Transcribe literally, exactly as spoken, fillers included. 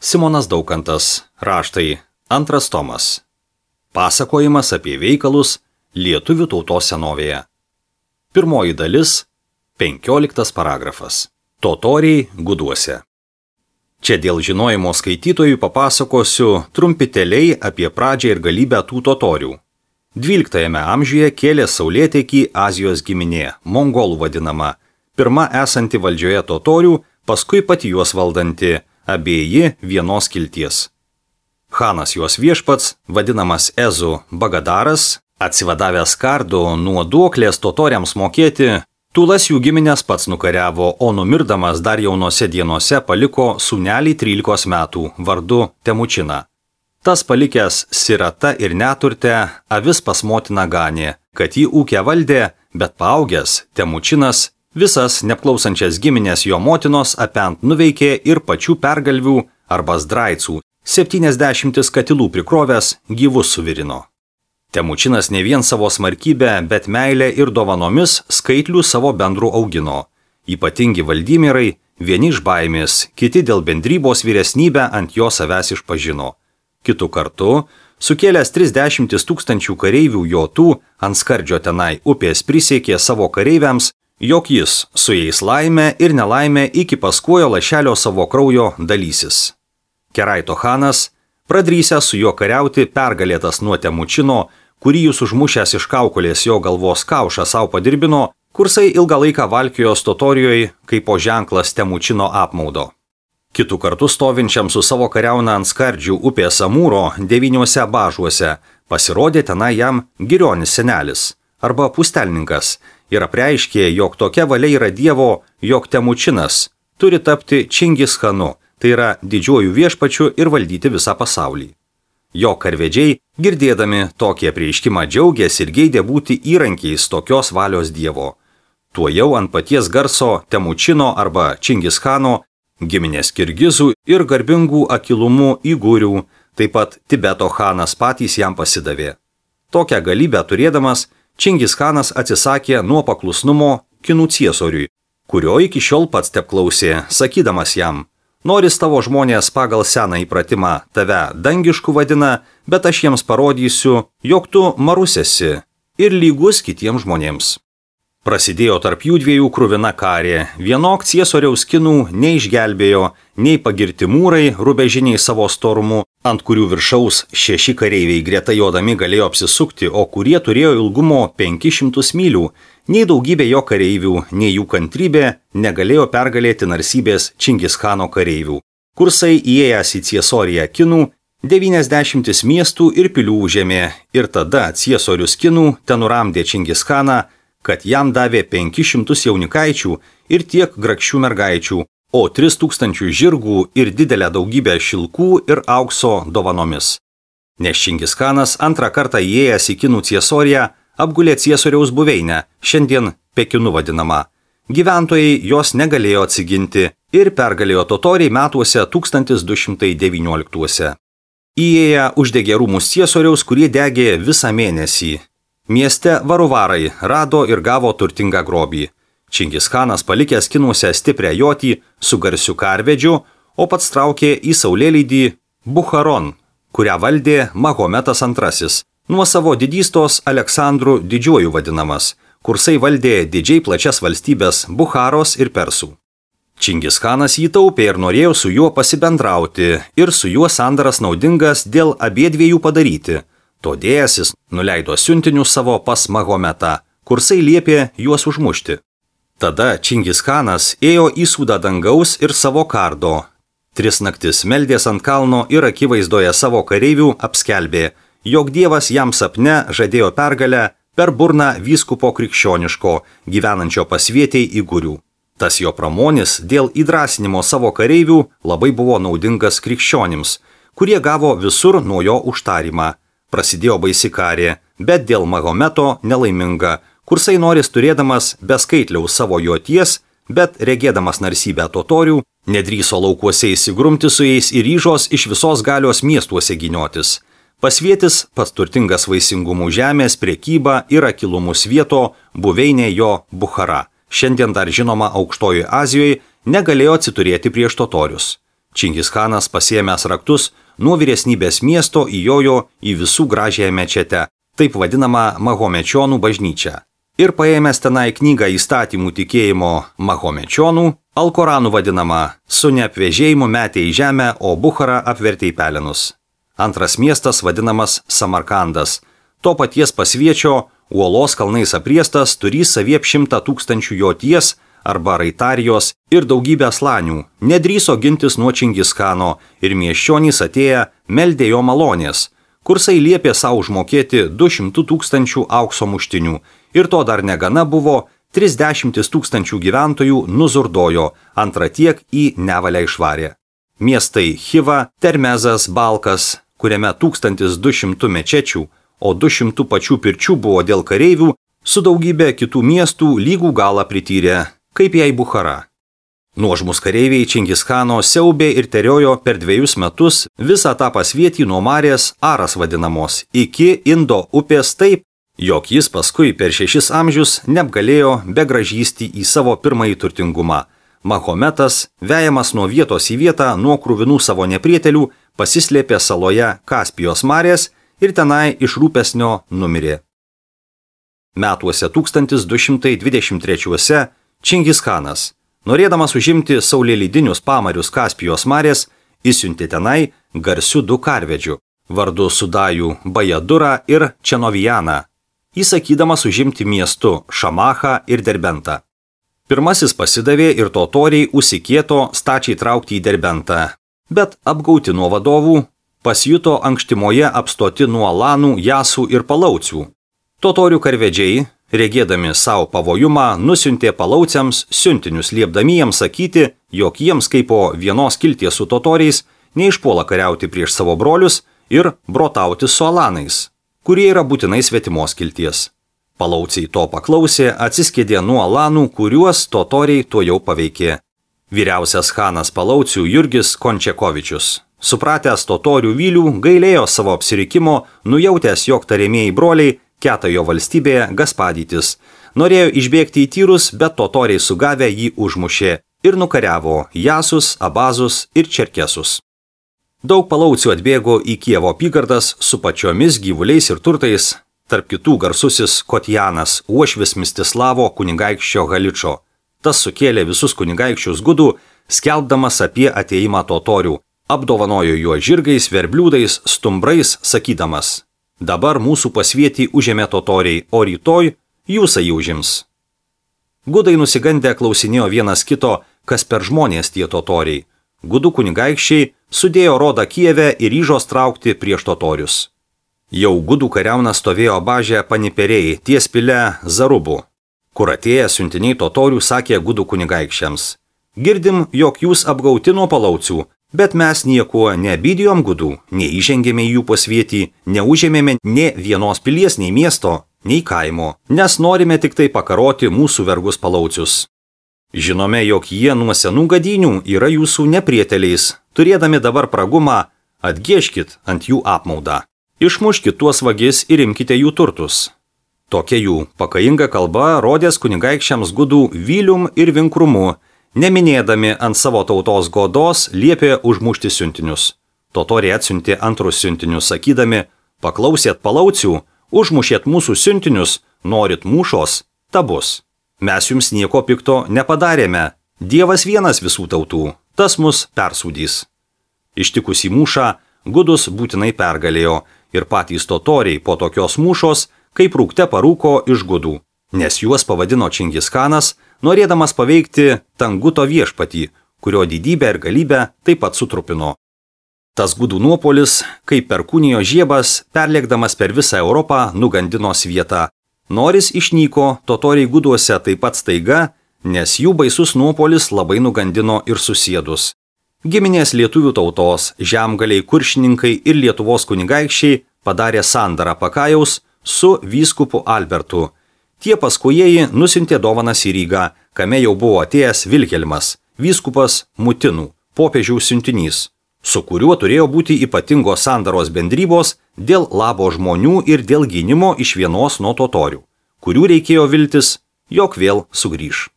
Simonas Daukantas, raštai, antras tomas. Pasakojimas apie veikalus lietuvių tautos senovėje. Pirmoji dalis, penkioliktas paragrafas. Totoriai guduose. Čia dėl žinojimo skaitytojų papasakosiu trumpiteliai apie pradžią ir galybę tų totorių. dvyliktajame amžiuje kėlė saulėtekį Azijos giminė, mongolų vadinama, pirma esanti valdžioje totorių, paskui pati juos valdanti, abieji vienos kilties. Chanas juos viešpats, vadinamas Ezu Bagadaras, atsivadavęs kardų nuo duoklės totoriams mokėti, tūlas jų giminės pats nukariavo, o numirdamas dar jaunose dienose paliko sūnelį trylikos metų, vardu Temučiną. Tas palikęs sirata ir neturte, avis pas motiną ganė, kad jį ūkę valdė, bet paaugęs Temučinas visas neapklausančias giminės jo motinos apent nuveikė ir pačių pergalvių arba zdraicų, septyniasdešimtis katilų prikrovęs gyvus suvirino. Temučinas ne vien savo smarkybę, bet meilę ir dovanomis skaitlių savo bendrų augino. Ypatingi valdymierai, vieni iš baimės, kiti dėl bendrybos vyresnybę ant jo savęs išpažino. Kitu kartu, sukėlęs trisdešimtis tūkstančių kareivių jotų, ant skardžio tenai upės prisiekė savo kareiviams, jog jis su jais laimę ir nelaimę iki paskuojo lašelio savo kraujo dalysis. Keraito chanas, pradrysęs su juo kariauti, pergalėtas nuo Temučino, kurį jis užmušęs iš kaukolės jo galvos kaušą savo padirbino, kursai ilgą laiką valkijos totorijoje kaip po ženklas Temučino apmaudo. Kitų kartų stovinčiam su savo kariauna ant skardžių upės Amūro devyniuose bažuose pasirodė tenai jam girionis senelis arba pustelninkas ir apreiškė, jog tokia valia yra Dievo, jog Temučinas turi tapti Čingis Chanu, tai yra didžiuoju viešpačiu ir valdyti visą pasaulį. Jo karvedžiai, girdėdami tokį apreiškimą, džiaugėsi ir geidė būti įrankiais tokios valios Dievo. Tuojau ant paties garso Temučino arba Čingis Chano, giminės kirgizų ir garbingų akilumų įgūrių, taip pat Tibeto chanas patys jam pasidavė. Tokią galybę turėdamas, Čingis Chanas atsisakė nuo paklusnumo kinų ciesoriui, kurio iki šiol pats teapklausė, sakydamas jam, noris tavo žmonės pagal seną įpratimą tave dangišku vadina, bet aš jiems parodysiu, jog tu marus esi ir lygus kitiems žmonėms. Prasidėjo tarp jų dviejų kruvina karė, vienok ciesoriaus kinų neišgelbėjo, nei pagirti mūrai rubežiniai savo storumu, ant kurių viršaus šeši kareiviai greta jodami galėjo apsisukti, o kurie turėjo ilgumo penkis šimtus mylių, nei daugybė jo kareivių, nei jų kantrybė negalėjo pergalėti narsybės Čingis Chano kareivių. Kursai įėjęs į ciesoriją kinų, devyniasdešimtis miestų ir pilių užėmė, ir tada ciesorius kinų tenuramdė Čingis Chaną, kad jam davė penkis šimtus jaunikaičių ir tiek grakščių mergaičių, o tris tūkstančius žirgų ir didelę daugybę šilkų ir aukso dovanomis. Nes Čingis Chanas antrą kartą įėjęs į kinų ciesoriją apgulė ciesoriaus buveinę, šiandien Pekinu vadinama. Gyventojai jos negalėjo atsiginti ir pergalėjo totoriai metuose tūkstantis du šimtai devynioliktuose. Įėję uždegė rūmus ciesoriaus, kurie degė visą mėnesį. Mieste varuvarai rado ir gavo turtingą grobį. Čingis Chanas palikęs kinuose stiprią jotį su garsiu karvedžiu, o pats traukė į saulėlydį Bukharon, kurią valdė Mahometas antrasis, nuo savo didystos Aleksandrų didžiuoju vadinamas, kursai valdė didžiai plačias valstybės Bukharos ir Persų. Čingis Chanas jį taupė ir norėjo su juo pasibendrauti ir su juo sandaras naudingas dėl abiedviejų padaryti. Todėl jis nuleido siuntinius savo pas Mahometą, kursai liepė juos užmušti. Tada Čingis Chanas ėjo į sūdą dangaus ir savo kardo. Tris naktis meldės ant kalno ir akivaizdoje savo kareivių apskelbė, jog Dievas jam sapne žadėjo pergalę per burną vyskupo krikščioniško, gyvenančio pasvietei įgūrių. Tas jo pramonis dėl įdrasinimo savo kareivių labai buvo naudingas krikščionims, kurie gavo visur nuo jo užtarimą. Prasidėjo baisi karė, bet dėl Mahometo nelaiminga, kursai noris turėdamas beskaitliaus savo joties, bet regėdamas narsybę totorių, nedryso laukuose įsigrumti su jais ir ryžos iš visos galios miestuose giniotis. Pasvietis, pats turtingas vaisingumų žemės, prekyba ir akilumus vieto, buveinė jo Bukhara, šiandien dar žinoma Aukštojoje Azijoje, negalėjo atsiturėti prieš totorius. Čingischanas pasiėmęs raktus nuo vyresnybės miesto įjojo į visų gražiąją mečetę, taip vadinamą Mahomečionų bažnyčią. Ir paėmęs tenai knygą įstatymų tikėjimo Mahomečionų, Alkoranų vadinamą, su neapvežėjimu metė į žemę, o Bukharą apvertė į pelenus. Antras miestas vadinamas Samarkandas. To paties pasviečio, uolos kalnais apriestas, turį saviep šimtą tūkstančių joties arba raitarijos ir daugybę slanių, nedrįso gintis nuo Čingischano ir miesčionys atėję meldė jo malonės, kursai liepė savo užmokėti du šimtus tūkstančių aukso muštinių ir to dar negana buvo, trisdešimt tūkstančių gyventojų nuzurdojo, antrą tiek į nevalę išvarė. Miestai Chiva, Termezas, Balkas, kuriame tūkstantis du šimtai mečečių, o du šimtai pačių pirčių buvo dėl kareivių, su daugybė kitų miestų lygų galą prityrė, kaip jai Bukhara. Nuožmus kareiviai Čingischano siaubė ir teriojo per dviejus metus visą tą pasvietį nuo Marės Aras vadinamos iki Indo upės taip, jog jis paskui per šešis amžius neapgalėjo begražysti į savo pirmąjį turtingumą. Mahometas, vejamas nuo vietos į vietą nuo kruvinų savo neprietelių, pasislėpė saloje Kaspijos marės ir tenai iš rūpesnio numirė. Metuose tūkstantis du šimtai dvidešimt trečiuose Čingischanas, norėdamas užimti saulėlydinius pamarius Kaspijos marės, įsiuntė tenai garsių du karvedžių, vardu Sudajų Bajadurą ir Čenovijaną, įsakydamas užimti miestu Šamachą ir Derbentą. Pirmasis pasidavė ir totoriai užsikieto stačiai traukti į Derbentą, bet apgauti nuo vadovų, pasijuto ankštimoje apstoti nuo Lanų, Jasų ir Palaucių. Totorių karvedžiai, regėdami savo pavojumą, nusiuntė Palauciams siuntinius liepdami jiems sakyti, jog jiems kaip po vienos kilties su totoriais neišpuola kariauti prieš savo brolius ir brotauti su Alanais, kurie yra būtinai svetimos kilties. Palauciai to paklausė, atsiskėdė nuo Alanų, kuriuos totoriai tuo jau paveikė. Vyriausias chanas Palaucių Jurgis Končekovičius, supratęs totorių vylių, gailėjo savo apsirikimo, nujautęs, jog tariamieji broliai keta jo valstybėje gaspadytis. Norėjo išbėgti į tyrus, bet totoriai sugavę jį užmušė ir nukariavo Jasus, Abazus ir Čerkesus. Daug Palaucių atbėgo į Kijevo apygardas su pačiomis gyvuliais ir turtais, tarp kitų garsusis Kotjanas, uošvis Mistislavo kunigaikščio Haličo. Tas sukėlė visus kunigaikščius gudų, skelbdamas apie atėjimą totorių, apdovanojo juo žirgais, verbliūdais, stumbrais, sakydamas: dabar mūsų pasvietį užėmė totoriai, o rytoj jūs jį užims. Gudai nusigandę klausinėjo vienas kito, kas per žmonės tie totoriai. Gudų kunigaikščiai sudėjo rodą Kijeve ir ryžos traukti prieš totorius. Jau gudų kariauna stovėjo bažę Paniperiai ties pile Zarubu, kur atėję siuntiniai totorių sakė gudų kunigaikščiams: girdim, jog jūs apgauti nuo Palaucių, bet mes niekuo neabydijom gudų, neįžengėme į jų pasvietį, neužėmėme nė vienos pilies, nei miesto, nei kaimo, nes norime tik tai pakaroti mūsų vergus Palaucius. Žinome, jog jie nuo senų gadynių yra jūsų neprieteliais, turėdami dabar pragumą, atgieškit ant jų apmaudą. Išmuškit tuos vagis ir imkite jų turtus. Tokia jų pakainga kalba rodės kunigaikščiams gudų vylium ir vinkrumu, neminėdami ant savo tautos godos liepė užmušti siuntinius. Totoriai atsiuntė antrus siuntinius, sakydami: paklausėt Palaucių, užmušėt mūsų siuntinius, norit mūšos, ta bus. Mes jums nieko pikto nepadarėme, Dievas vienas visų tautų, tas mus persūdys. Ištikus į mūšą, gudus būtinai pergalėjo ir patys totoriai po tokios mūšos, kaip rūkte parūko iš gudų, nes juos pavadino Čingischanas, norėdamas paveikti Tanguto viešpatį, kurio didybę ir galybę taip pat sutrupino. Tas gudų nuopolis, kaip perkūnijo žiebas, perlėkdamas per visą Europą, nugandino svietą. Noris išnyko totoriai guduose taip pat staiga, nes jų baisus nuopolis labai nugandino ir susėdus. Giminės lietuvių tautos, žemgaliai kuršininkai ir Lietuvos kunigaikščiai padarė sandarą Pakajaus su vyskupu Albertu. Tie paskujieji nusiuntė dovanas į Rygą, kame jau buvo atėjęs Vilhelmas, vyskupas Mutinų, popiežiaus siuntinys, su kuriuo turėjo būti ypatingos sandaros bendrybos dėl labo žmonių ir dėl gynimo iš vienos nuo totorių, kurių reikėjo viltis, jog vėl sugrįš.